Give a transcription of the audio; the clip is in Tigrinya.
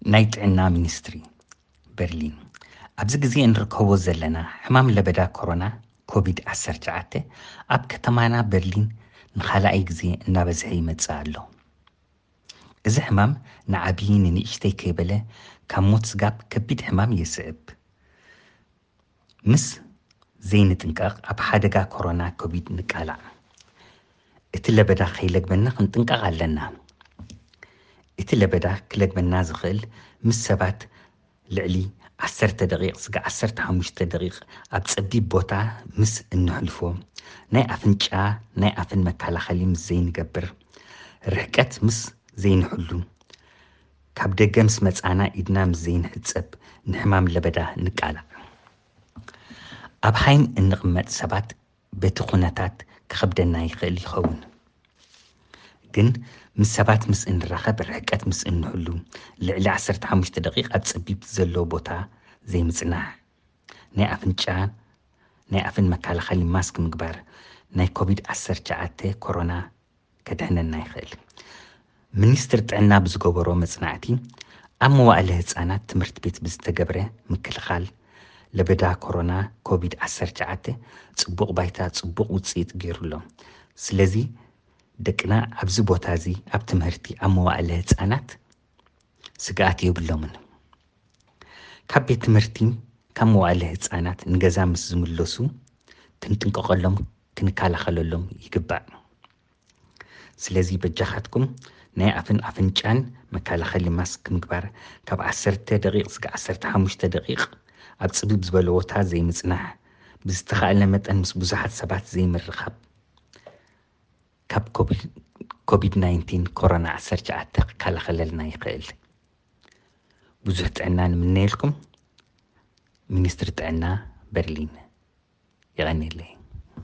ናይ ጥዕና ሚኒስትሪ በርሊን። ኣብዚ ግዜ እንርከቦ ዘለና ሕማም ለበዳ ኮሮና ኮቪድ ዓሰርተ ትሽዓተ ኣብ ከተማና በርሊን ንኻልኣይ ግዜ እናበዝሐ ይመጽእ ኣሎ። እዚ ሕማም ንዓብዪ ንንእሽተይ ከይበለ ካብ ሞት ስጋብ ከቢድ ሕማም የስዕብ። ምስ ዘይንጥንቀቕ ኣብ ሓደጋ ኮሮና ኮቪድ ንቃላዕ። እቲ ለበዳ ከይለግበና ክንጥንቀቕ ኣለና። እቲ ለበዳ ክለግበና ዝኽእል ምስ ሰባት ልዕሊ ዓሰርተ ደቂቕ ስጋ ዓሰርተ ሓሙሽተ ደቂቕ ኣብ ጸቢብ ቦታ ምስ እንሕልፎ፣ ናይ ኣፍንጫ ናይ ኣፍን መከላኸሊ ምስ ዘይንገብር፣ ርሕቀት ምስ ዘይንሕሉ፣ ካብ ደገ ምስ መጻና ኢድና ምስ ዘይንሕጸብ ንሕማም ለበዳ ንቃላዕ። ኣብ ሃይም እንቕመጥ ሰባት በቲ ኩነታት ክኸብደና ይኽእል ይኸውን። ግን ምስ ሰባት ምስ እንራኸብ ርሕቀት ምስ እንሕሉ፣ ልዕሊ ዓሰርተ ሓሙሽተ ደቂቕ ኣብ ጸቢብ ዘለዎ ቦታ ዘይምጽናሕ፣ ናይ ኣፍንጫ ናይ ኣፍን መከላኸሊ ማስክ ምግባር ናይ ኮቪድ ዓሰርተ ትሽዓተ ኮሮና ከድሕነና ይኽእል። ሚኒስትሪ ጥዕና ብዝገበሮ መጽናዕቲ ኣብ መዋእለ ህጻናት ትምህርቲ ቤት ብዝተገብረ ምክልኻል ለበዳ ኮሮና ኮቪድ ዓሰርተ ትሽዓተ ጽቡቕ ባይታ ጽቡቕ ውጽኢት ገይሩሎ። ስለዚ ደቅና ኣብዚ ቦታ እዚ ኣብ ትምህርቲ ኣብ መዋእለ ህጻናት ስግኣት የብሎምን። ካብ ቤት ትምህርቲ ካብ መዋእለ ህጻናት ንገዛ ምስ ዝምለሱ ክንጥንቀቐሎም ክንከላኸለሎም ይግባእ። ስለዚ በጃኻትኩም ናይ ኣፍን ኣፍንጫን መከላኸሊ ማስክ ምግባር፣ ካብ ዓሰርተ ደቂቕ ስጋ ዓሰርተ ሓሙሽተ ደቂቕ ኣብ ጽብብ ዝበለ ቦታ ዘይምጽናሕ፣ ብዝተኻእለ መጠን ምስ ብዙሓት ሰባት ዘይምርኻብ ካብ ኮቪድ ናይንቲን ኮሮና ዓሰርተ ትሽዓተ ክከላኸለልና ይኽእል። ብዙሕ ጥዕና ንምነየልኩም። ሚኒስትሪ ጥዕና በርሊን። የቐንየለይ።